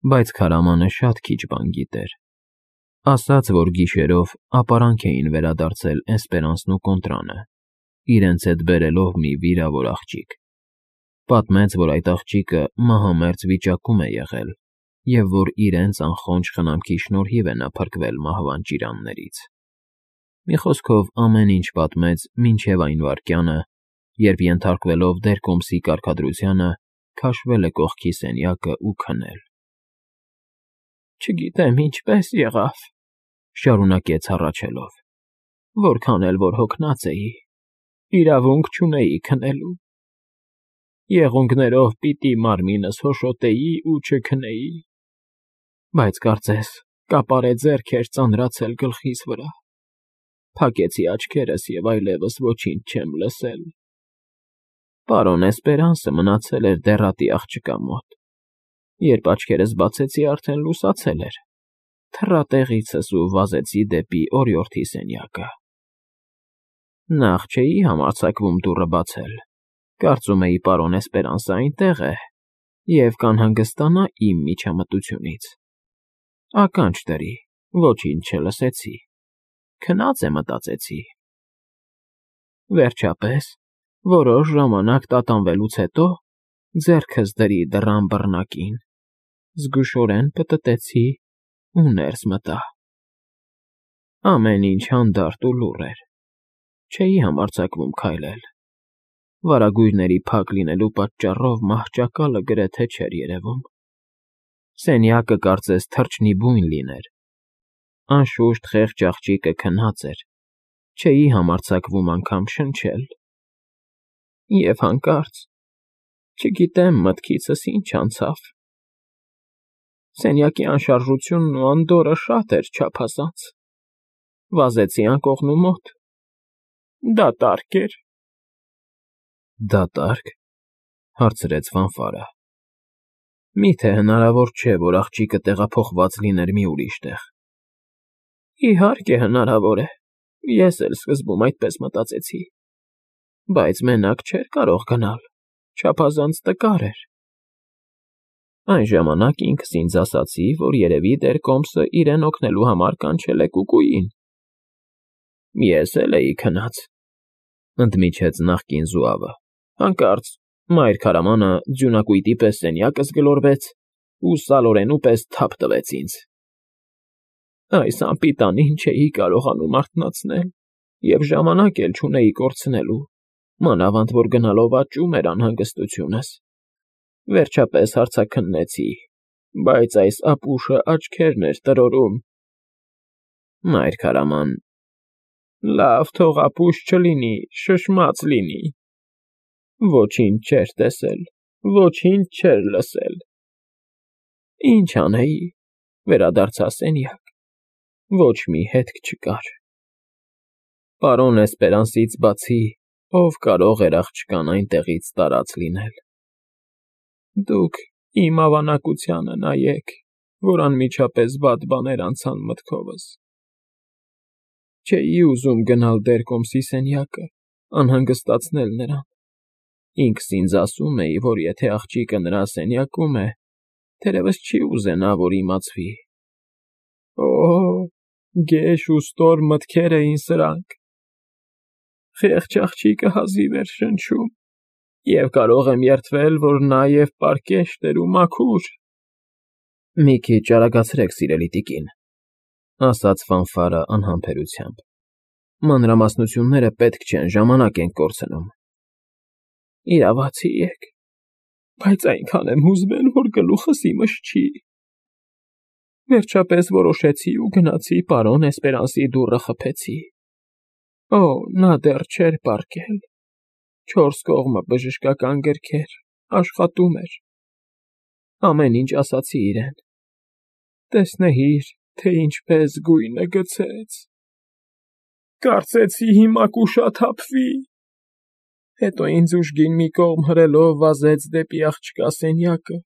Բայց քարամանը շատ քիչ բան գիտեր։ Ասաց, որ գիշերով ապարանք էին վերադարձել Էսպերանսն ու Կոնտրանը, իրենց հետ բերելով մի վիրավոր աղջիկ։ Պատմեց, որ այդ աղջիկը մահամերձ վիճակում է եղել և որ իրենց անխոնջ խնամքի շնորհիվ է նա փրկվել մահվան ճիրաններից։ Մի խոսքով ամեն ինչ պատմեց մինչև այն վայրկյանը, երբ ենթարկվելով Դերկոմսի կարգադրությանը, քաշվել է կողքի սենյակը ու քնել։ Չգիտեմ ինչպես եղավ, շարունակեց հառաչելով, որքան էլ որ հոգնած էի, իրավունք չունեի քնելու։ Եղունգներով պիտի մարմինս հոշոտեի ու չքնեի, բայց կարծես կապարե ձեռք էր ծանրացել գլխիս վրա։ Փակեցի աչքերս և այլևս ոչինչ չեմ լսել։ Պարոն Էսպերանսը մնացել էր դեռատի աղջկա մոտ։ Երբ աչքերս բացեցի, արդեն լուսացել էր։ Թռա տեղիցս ու վազեցի դեպի օրիորդի սենյակը։ Նախ չէի համարձակվում դուռը բացել, կարծում էի պարոն Էսպերանսը այնտեղ է և կանհանգստանա իմ միջամտությունից։ Ականջ դրի, ոչինչ չլսեցի, քնած է մտածեցի։ Վերջապես, որոշ ժամանակ տատանվելուց հետո, ձեռքս դրի դռան բռնակին, զգուշորեն պտտեցի ու ներս մտա։ Ամեն ինչ հանդարտ ու լուռ էր, չէի համարձակվում քայլել։ Վարագույրների փակ լինելու պատճառով մահճակալը գրեթե չէր երևում։ Սենյակը կարծես թռչնի բույն լիներ։ Անշուշտ խեղճ աղջիկը քնած էր, չէի համարձակվում անգամ շնչել։ Եվ հանկարծ, չգիտեմ մտքիցս ինչ անցավ։ Սենյակի անշարժությունն ու անդորրը շատ էր չափազանց։ Վազեցի անկողնու մոտ։ Դատարկ էր։ Դատարկ, հարցրեց Ֆանֆարը։ Միթե հնարավոր չէ, որ աղջիկը տեղափոխված լիներ մի ուրիշ տեղ։ Իհարկե հնարավոր է, ես էլ սկզբում այդպես մտածեցի, բայց մենակ չէր կարող գնալ, չափազանց տկար էր։ Այն ժամանակ ինքս ինձ ասացի, որ երևի Դերկոմսը իրեն օգնելու համար կանչել է կուկուին։ Ես էլ էի քնած, ընդմիջեց նախկին զուավը։ Հանկարծ մայր քարամանը ձյունակույտի պես սենյակս գլորվեց ու սալորենու պես թափ տվեց ինձ։ Այս անպիտանին չէի կարողանում արթնացնել և ժամանակ էլ չունեի կորցնելու, մանավանդ որ գնալով աճում էր անհանգստությունս։ Վերջապես հարցաքննեցի, բայց այս ապուշը աչքերն էր տրորում։ Մայր քարաման, լավ, թող ապուշ չլինի, շշմած լինի։ Ոչինչ չէր տեսել, ոչինչ չէր լսել։ Ինչ անեի, վերադարձա սենյակ, ոչ մի հետք չկար։ Պարոն Էսպերանսից բացի, ով կարող էր աղջկան այնտեղից տարած լինել։ Դուք իմ ավանակությանը նայեք, որ անմիջապես վատ բաներ անցան մտքովս։ Չէի ուզում գնալ Դերկոմսի սենյակը, անհանգստացնել նրան։ Ինքս ինձ ասում էի, որ եթե աղջիկը նրա սենյակում է, թերևս չի ուզենա, որ իմացվի։ Օ՜, գեշ ու ստոր մտքեր էին սրանք։ Խեղճ աղջիկը հազիվ էր շնչում, և կարող եմ երդվել, որ նա և պարկեշտ էր ու մաքուր։ Մի քիչ արագացրեք, սիրելի տիկին, ասաց Ֆանֆարը անհամբերությամբ։ Մանրամասնությունները պետք չեն, ժամանակ ենք կորցնում։ Իրավացի եք, բայց այնքան եմ հուզվել, որ գլուխս իմս չի։ Վերջապես որոշեցի ու գնացի պարոն Էսպերանսի դուռը խփեցի։ Օ, նա դեռ չէր պառկել։ 4 կողմը բժշկական գրքեր, աշխատում էր։ Ամեն ինչ ասացի իրեն։ Տեսնեիր, թե ինչպես գույնը գցեց։ Կարծեցի հիմա կուշաթափվի։ Հետո ինձ ուժգին մի կողմ հրելով վազեց դեպի աղջկա սենյակը։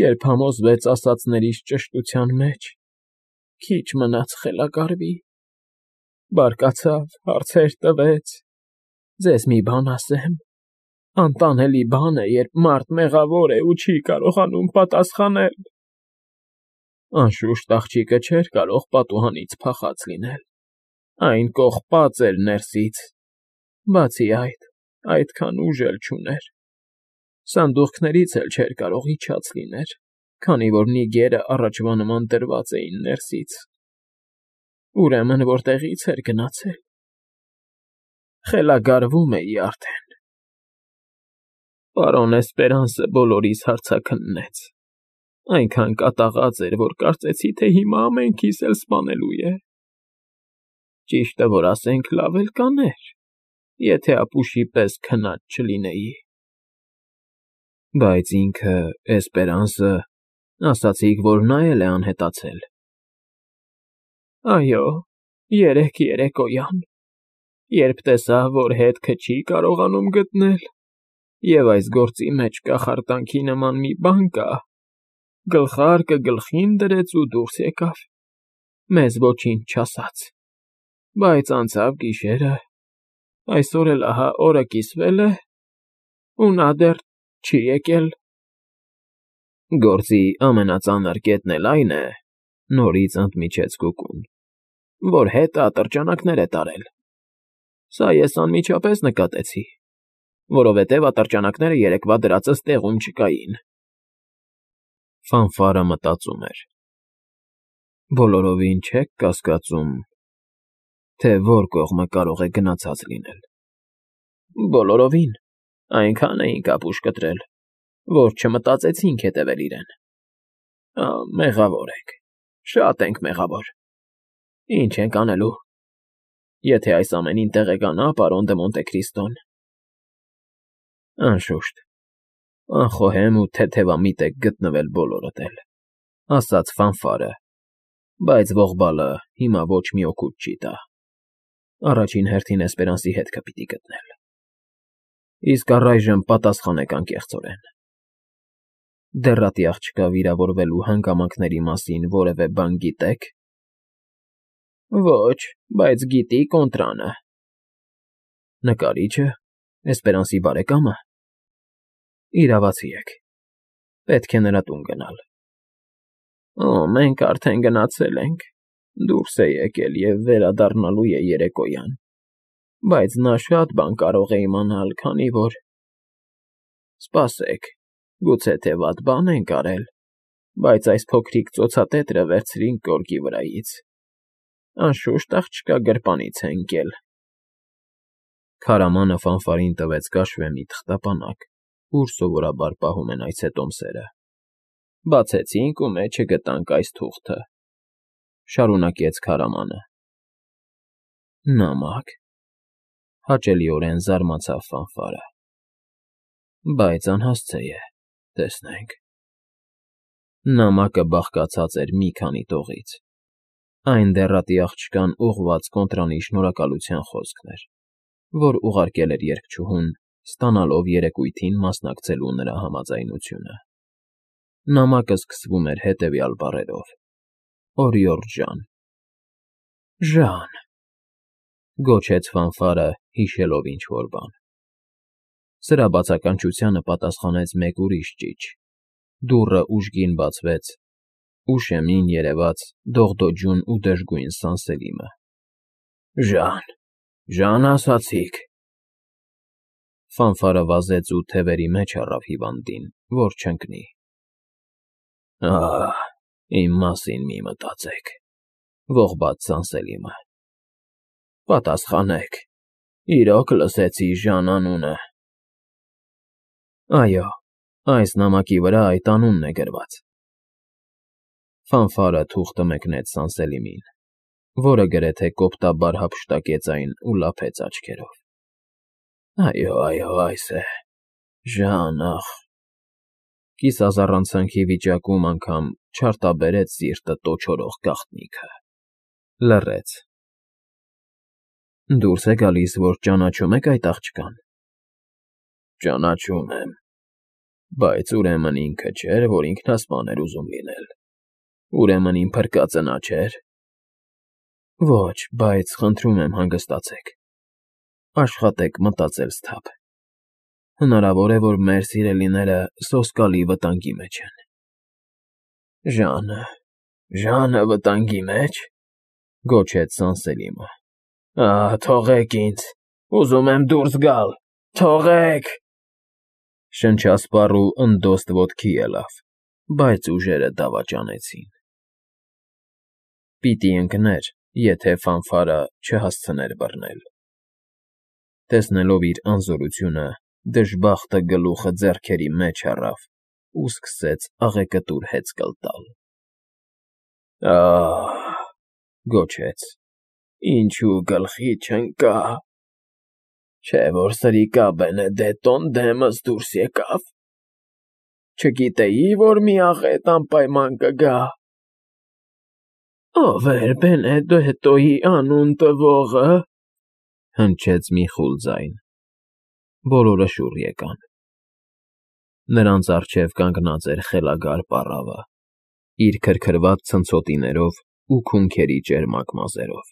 Երբ համոզվեց ասածներիս ճշտության մեջ, քիչ մնաց խելագարվի։ Բարկացավ, հարցեր տվեց։ Ձեզ մի բան ասեմ, Անտանելի բան է, երբ մարդ մեղավոր է ու չի կարողանում պատասխանել։ Անշուշտ աղջիկը չէր կարող պատուհանից փախած լինել. այն կողպած էր ներսից, բացի այդ, այդքան ուժ էլ չուներ։ Սանդուղքներից էլ չէր կարող իջած լիներ, քանի որ նիգերը առաջվա նման դրված էին ներսից։ Ուրեմն որտեղի՞ց էր գնացել։ Խելագարվում էի արդեն։ Պարոն Էսպերանսը բոլորիս հարցաքննեց, այնքան կատաղած էր, որ կարծեցի, թե հիմա ամենքիս էլ սպանելու է։ Ճիշտը որ ասենք, լավ էլ կաներ, եթե ապուշի պես քնած չլինեի։ Բայց ինքը Էսպերանսը, ասացիք, որ նա էլ է անհետացել։ Այո, երեկոյան, երբ տեսա, որ հետքը չի կարողանում գտնել, և այս գործի մեջ կախարդանքի նման մի բան կա, գլխարկը գլխին դրեց ու դուրս եկավ, մեզ ոչինչ չասաց, բայց անցավ գիշերը, այսօր էլ ահա օրը կիսվել է, ու նա դեռ չի եկել։ Գործի ամենածանր կետն էլ այն է, նորից ընդմիջեց Կուկուն, որ հետը ատրճանակներ է տարել։ Սա ես անմիջապես նկատեցի, որովհետև ատրճանակները երեկվա դրածս տեղում չկային։ Ֆանֆարը մտածում էր. բոլորովին չեք կասկածում, թե որ կողմը կարող է գնացած լինել։ Բոլորովին, այնքան էինք ապուշ կտրել, որ չմտածեցինք հետևել իրեն։ Մեղավոր եք, շատ ենք մեղավոր։ Ինչ ենք անելու, եթե այս ամենին տեղեկանա պարոն դը Մոնտեքրիստոն։ Անշուշտ, անխոհեմ ու թեթևամիտ եք գտնվել բոլորդ էլ, ասաց Ֆանֆարը, բայց ողբալը հիմա ոչ մի օգուտ չի տա։ Առաջին հերթին Էսպերանսի հետքը պիտի գտնել։ Իսկ առայժմ պատասխանեք անկեղծորեն։ Դեռատի աղջկա վիրավորվելու հանգամանքների մասին որևէ բան գիտեք։ Ոչ, բայց գիտի Կոնտրանը։ Նկարիչը, Էսպերանսի բարեկամը։ Իրավացի եք, պետք է նրա տուն գնալ։ Մենք արդեն գնացել ենք, դուրս է եկել և վերադառնալու է երեկոյան, բայց նա շատ բան կարող է իմանալ, քանի որ… Սպասեք, գուցե թե վատ բան ենք արել, բայց այս փոքրիկ ծոցատետրը վերցրինք գորգի վրայից, անշուշտ աղջկա գրպանից է ընկել։ Քարամանը Ֆանֆարին տվեց կաշվե մի թղթապանակ, ուր սովորաբար պահում են այցետոմսերը։ Բացեցինք ու մեջը գտանք այս թուղթը, շարունակեց քարամանը։ Նամակ, հաճելիորեն զարմացավ Ֆանֆարը։ Բայց անհասցե է, տեսնենք։ Նամակը բաղկացած էր մի քանի տողից։ Այն դեռատի աղջկան ուղղված Կոնտրանի շնորհակալության խոսքն էր, որ ուղարկել էր երգչուհուն, ստանալով երեկույթին մասնակցելու նրա համաձայնությունը։ Նամակը սկսվում էր հետևյալ բառերով. Օրիորդ Ժան։ Ժան, գոչեց Ֆանֆարը, հիշելով ինչ֊որ բան։ Սրա բացականչությանը պատասխանեց մեկ ուրիշ ճիչ։ Դուռը ուժգին բացվեց, ու շեմին երևաց դողդոջուն ու դժգույն Սանսելիմը։ Ժան ասացիք։ Ֆանֆարը վազեց ու թևերի մեջ առավ հիվանդին, որ չընկնի։ Իմ մասին մի մտածեք, ողբաց Սանսելիմը։ Պատասխանեք, իրոք լսեցի Ժան անունը։ Այո, այս նամակի վրա այդ անունն է գրված։ Ֆանֆարը թուղթը մեկնեց Սանսելիմին, որը գրեթե կոպտաբար հափշտակեց այն ու լափեց աչքերով։ Այո, այս է, Ժան, ախ… Կիսազառանցանքի վիճակում անգամ չարտաբերեց սիրտը տոչորող գաղտնիքը։ Լռեց։ Դուրս է գալիս, որ ճանաչում եք այդ աղջկան։ Ճանաչում եմ, բայց ուրեմն ինքը չէր, որ ինքնասպան էր ուզում լինել։ Ուրեմն իմ փրկածը նա չէր։ Ոչ, բայց խնդրում եմ հանգստացեք։ Աշխատեք մտածել սթափ։ Հնարավոր է, որ մեր սիրելիները սոսկալի վտանգի մեջ են։ Ժանը վտանգի մեջ, գոչեց Սանսելիմը։ Թողեք ինձ, ուզում եմ դուրս գալ, թողեք… Շնչասպառ ու ընդոստ ոտքի ելավ, բայց ուժերը դավաճանեցին։ Պիտի ընկներ, եթե ֆանֆարը չհասցներ բռնել։ Տեսնելով իր անզորությունը, դժբախտը գլուխը ձեռքերի մեջ առավ ու սկսեց աղեկտուր հեծկլ տալ։ Ահ, գոչեց, ինչու գլխի չընկա… Չէ՞ որ սրիկա Բենեդետոն դեմս դուրս եկավ… Չգիտեի, որ մի աղետ անպայման կգա… Ո՞վ էր Բենեդետոյի անուն տվողը… Հնչեց մի խուլ ձայն։ Բոլորը շուռ եկան։ Նրանց առջև կանգնած էր խելագար պառավը, իր քրքրված ցնցոտիներով ու քունքերի ճերմակ մազերով։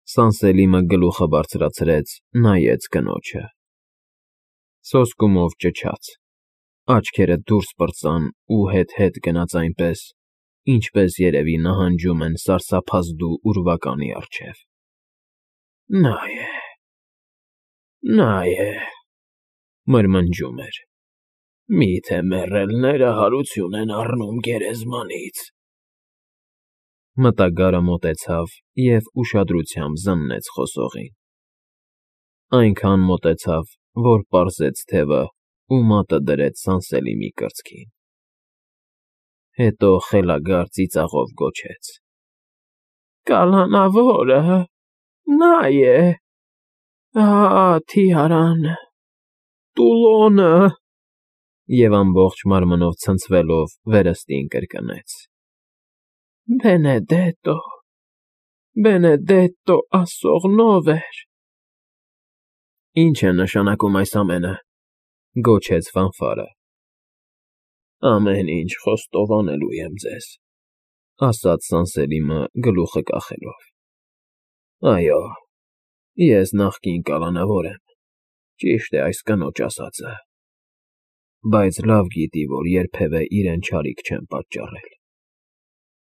Սանսելիմը գլուխը բարձրացրեց, նայեց կնոջը։ Սոսկումով ճչաց, աչքերը դուրս պրծան ու հետ-հետ գնաց այնպես, ինչպես երևի նահանջում են սարսափազդու ուրվականի առջև։ Նա է, մրմնջում էր, միթե մեռելները հարություն են առնում գերեզմանից… Մտագարը մոտեցավ և ուշադրությամբ զննեց խոսողին։ Այնքան մոտեցավ, որ պարզեց թևը ու մատը դրեց Սանսելիմի կրծքին։ Հետո խելագար ծիծաղով գոչեց. Կալանավորը… նա է… Թիարան… Տուլոնը… Եվ ամբողջ մարմնով ցնցվելով վերստին կրկնեց. Բենեդետո ասողնովեր… Ինչ է նշանակում այս ամենը, գոչեց ֆանֆարը։ Ամեն ինչ խոստովանելու եմ ձեզ, ասաց Սանսելիմը գլուխը կախելով։ Այո, ես նախկին կալանավոր եմ, ճիշտ է այս կնոջ ասածը, բայց լավ գիտի, որ երբևէ իրեն չարիք չեմ պատճառել։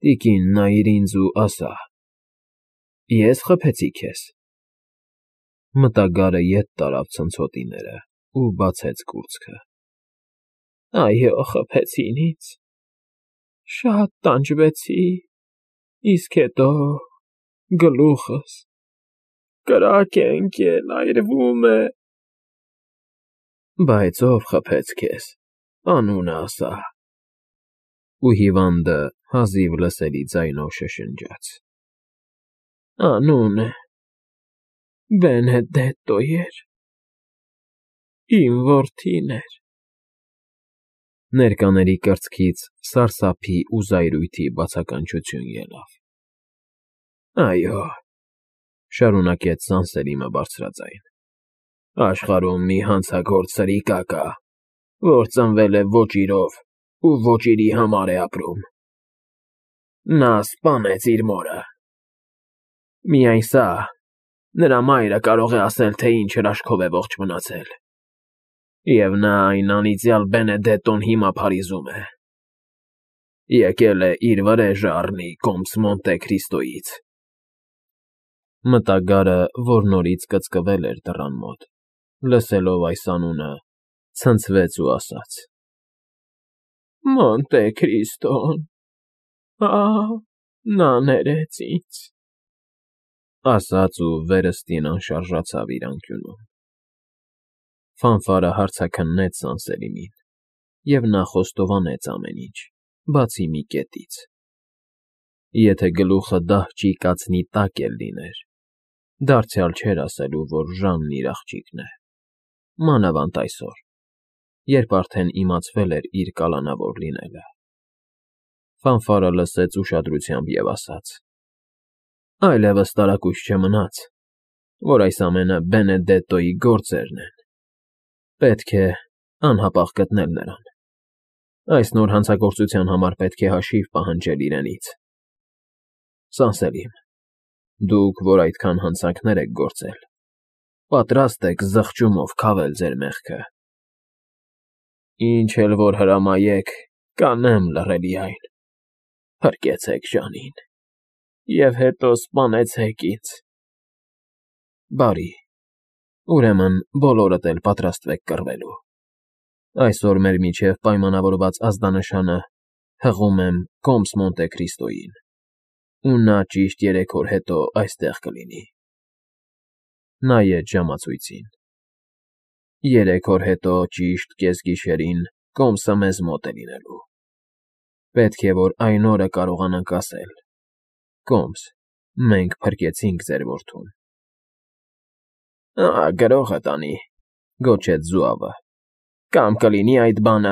Տիկին, նայիր ինձ ու ասա. ես խփեցի քեզ… Մտագարը ետ տարավ ցնցոտիները ու բացեց կուրծքը։ Այո, խփեցին ինձ… Շատ տանջվեցի, իսկ հետո… գլուխս… կրակ է ընկել, այրվում է… Բայց ով խփեց քեզ, անունը ասա… Ու հիվանդը հազիվ լսելի ձայնով շշնջաց. Անունը… Բենեդետո էր… իմ որդին էր… Ներկաների կրծքից սարսափի ու զայրույթի բացականչություն ելավ։ Այո, շարունակեց Սանսելիմը բարձրաձայն, աշխարհում մի հանցագործ սրիկա կա, որ ծնվել է ոչ իրով ու ոչ իրի համար է ապրում… Նա սպանեց իր մորը… Միայն սա… նրա մայրը կարող է ասել, թե ինչ հրաշքով է ողջ մնացել… Եվ նա այն անիծյալ Բենեդետոն հիմա փարիզում է… Եկել է իր վրեժը առնի կոմս Մոնտե Քրիստոյից… Մտագարը, որ նորից կծկվել էր դռան մոտ, լսելով այս անունը, ցնցվեց ու ասաց. Մոնտե Քրիստոն… նա ներեց ինձ… Ասաց ու վերստին անշարժացավ իր անկյունում։ Ֆանֆարը հարցաքննեց Սանսելիմին, և նա խոստովանեց ամեն ինչ, բացի մի կետից. եթե գլուխը դահճի կացնի տակ էլ լիներ, դարձյալ չէր ասելու, որ Ժանն իր աղջիկն է, մանավանդ այսօր, երբ արդեն իմացվել էր իր կալանավոր լինելը։ Ֆանֆարը լսեց ուշադրությամբ և ասաց. Այլևս տարակույս չմնաց, որ այս ամենը Բենեդետոյի գործերն են… Պետք է անհապաղ գտնել նրան… Այս նոր հանցագործության համար պետք է հաշիվ պահանջել իրենից… Սանսելիմ, դուք, որ այդքան հանցանքներ եք գործել, Պատրաստ եք զղջումով քավել ձեր մեղքը։ Ինչ էլ որ հրամայեք, կանեմ լռելի այն, փրկեցեք Ժանին և հետո սպանեցեք ինձ։ Բարի, ուրեմն բոլորդ էլ պատրաստվեք կռվելու։ Այսօր մեր միջև պայմանավորված ազդանշանը հղում եմ Կոմս Մոնտե Քրիստոյին, ու նա ճիշտ 3 օր հետո այստեղ կլինի։ Նայեց ժամացույցին։ 3 օր հետո ճիշտ կեսգիշերին Կոմսը մեզ մոտ է լինելու։ Պետք է որ այն օրը կարողանանք ասել. «Կոմս, մենք փրկեցինք ձեր որդուն»։ Ահա գրողդ անի, գոչեց Զուավը, կամ կլինի այդ բանը,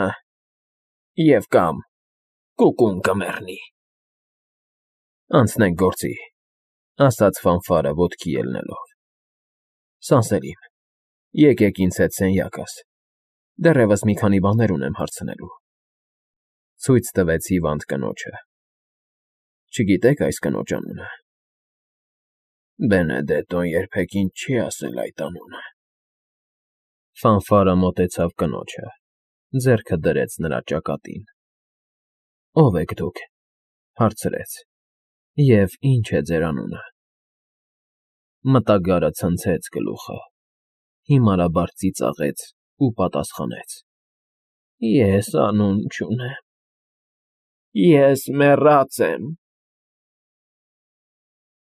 և կամ կուկուն կմեռնի։ Անցնենք գործի, ասաց Ֆանֆարը ոտքի ելնելով։ Սանսերիմ, եկեք ինձ հետ սենյակս, դեռևս մի քանի բաներ ունեմ հարցնելու։ Ցույց տվեց հիվանդ կնոջը։ Չգիտեք այս կնոջ անունը։ Բենեդետոն երբեք ինձ չի ասել այդ անունը։ Ֆանֆարը մոտեցավ կնոջը, ձեռքը դրեց նրա ճակատին։ Ո՞վ եք դուք, հարցրեց, և ի՞նչ է ձեր անունը։ Մտագարը ցնցեց գլուխը, հիմարաբար ծիծաղեց ու պատասխանեց. Ես անուն չունեմ։ Ես մեռած եմ։